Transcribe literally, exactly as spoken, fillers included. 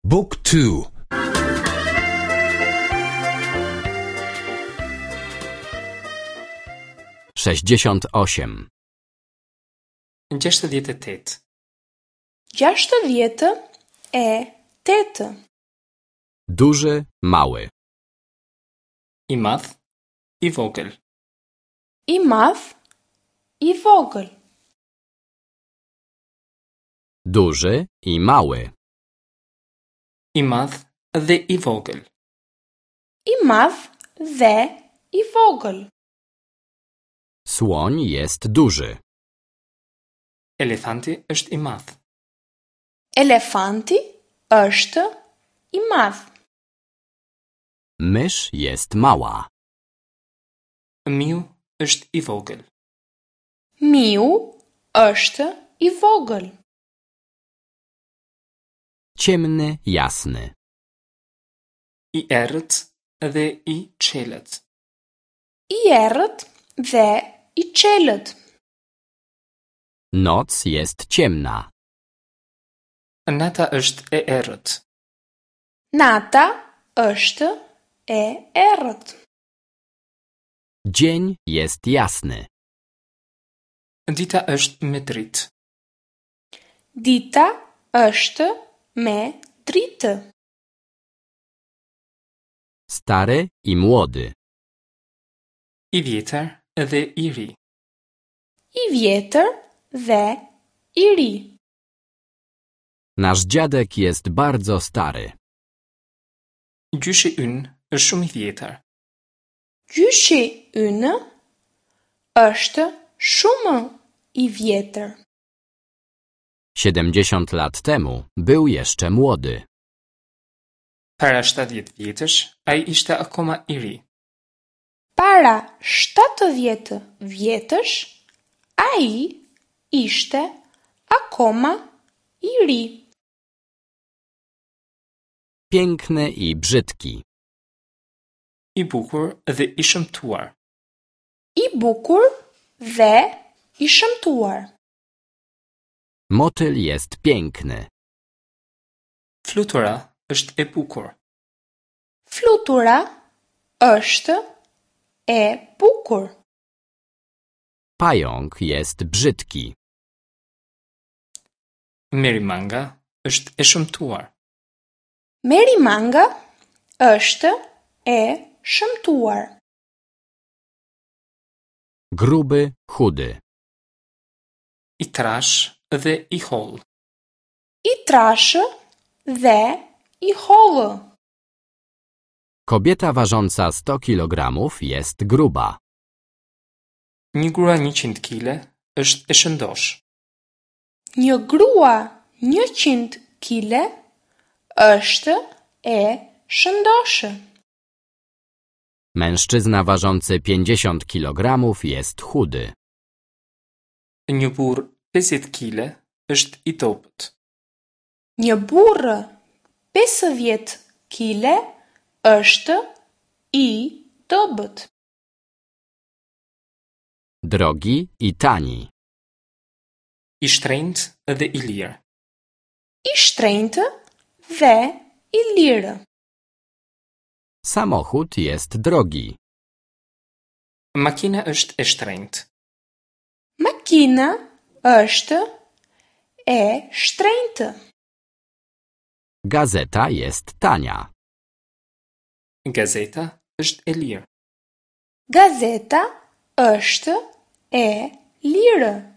Book two. Sześćdziesiąt osiem. Gjashtëdhjetë e tetë. Gjashtëdhjetë e tetë. Duży, mały. I madh, i vogël. I madh, i vogël. Duży i mały. I madh dhe i vogël. I madh dhe i vogël. Słoń jest duży. Elefanti është i madh. Elefanti është i madh. Mysz jest mała. Miu është i vogël. Miu është i vogël. Ciemny, jasny. I errët dhe i çelët. I errët dhe i çelët. Noc jest ciemna. Nata është e errët. Nata është e errët. Dzień jest jasny. Dita është me dritë. Dita është me dritë. Stary i młody. I vjetër dhe i ri. I vjetër dhe i ri. Nasz dziadek jest bardzo stary. Gjyshi ynë është shumë i vjetër. Gjyshi ynë është shumë i vjetër. Siedemdziesiąt lat temu był jeszcze młody. Para shtatëdhjetë vjetësh ai ishte akoma i ri. Para shtatëdhjetë vjetësh ai ishte akoma i ri. Piękny i brzydki. I bukur dhe i shëmtuar. I bukur dhe i shëmtuar. Motyl jest piękny. Flutura është e bukur. Flutura është e bukur. Pająk jest brzydki. Merimanga është e shëmtuar. Merimanga është e shëmtuar. Gruby, chudy. I trash dhe i hollë. I trashë dhe i hollë. Kobieta ważąca sto kilogramów jest gruba. Një grua njëqind kile është e shëndosh. Një grua njëqind kile është e shëndoshë. Mężczyzna ważący pięćdziesiąt kilogramów jest chudy. Një burr pesëdhjetë kile është i dobët. Një burr pesëdhjetë kile është i dobët. Drogi i tani. I shtrenjtë dhe i lirë. I shtrenjtë dhe i lirë. Samochód jest drogi. Makina është e shtrenjtë. Makina është e shtrenjtë. Gazeta jest tania. Gazeta është e lirë. Gazeta është e lirë.